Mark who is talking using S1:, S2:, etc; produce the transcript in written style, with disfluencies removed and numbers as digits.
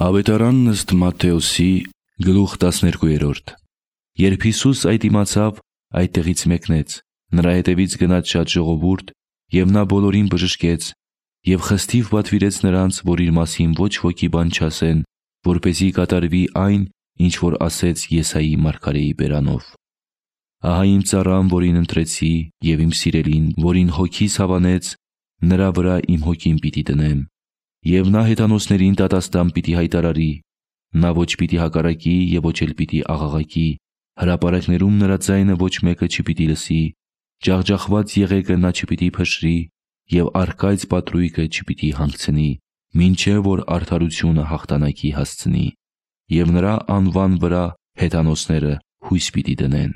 S1: Ավետարանն ըստ Մատթեոսի գլուխ 12։ Երբ Հիսուս այդ իմացավ, այդտեղից մեկնեց, նրա հետևից գնաց շատ ժողովուրդ, և նա բոլորին բժշկեց, և խստիվ պատվիրեց նրանց, որ իր մասին ոչ ոքի բան չասեն, որպեսզի կատարվի այն, ինչ որ ասեց Եսայի մարգարեի բերանով. «Ահա իմ ծառան, որին ընտրեցի, և իմ սիրելին, որին հոգիս հավանեց, նրա վրա իմ հոգին պիտի դնեմ, և նա հեթանոսներին դատաստան պիտի հայտարարի, նա ոչ պիտի հակառակի և ոչ էլ պիտի աղաղակի, հրապարակներում նրա ձայնը ոչ մեկը չպիտի լսի, ջախջախված եղեգը նա չպիտի փշրի, և առկայծ պատրույգը չպիտի հանգցնի, մինչև որ արդարությունը հաղթանակի հասցնի, և նրա անվան վրա հեթանոսները հույս պիտի դնեն»։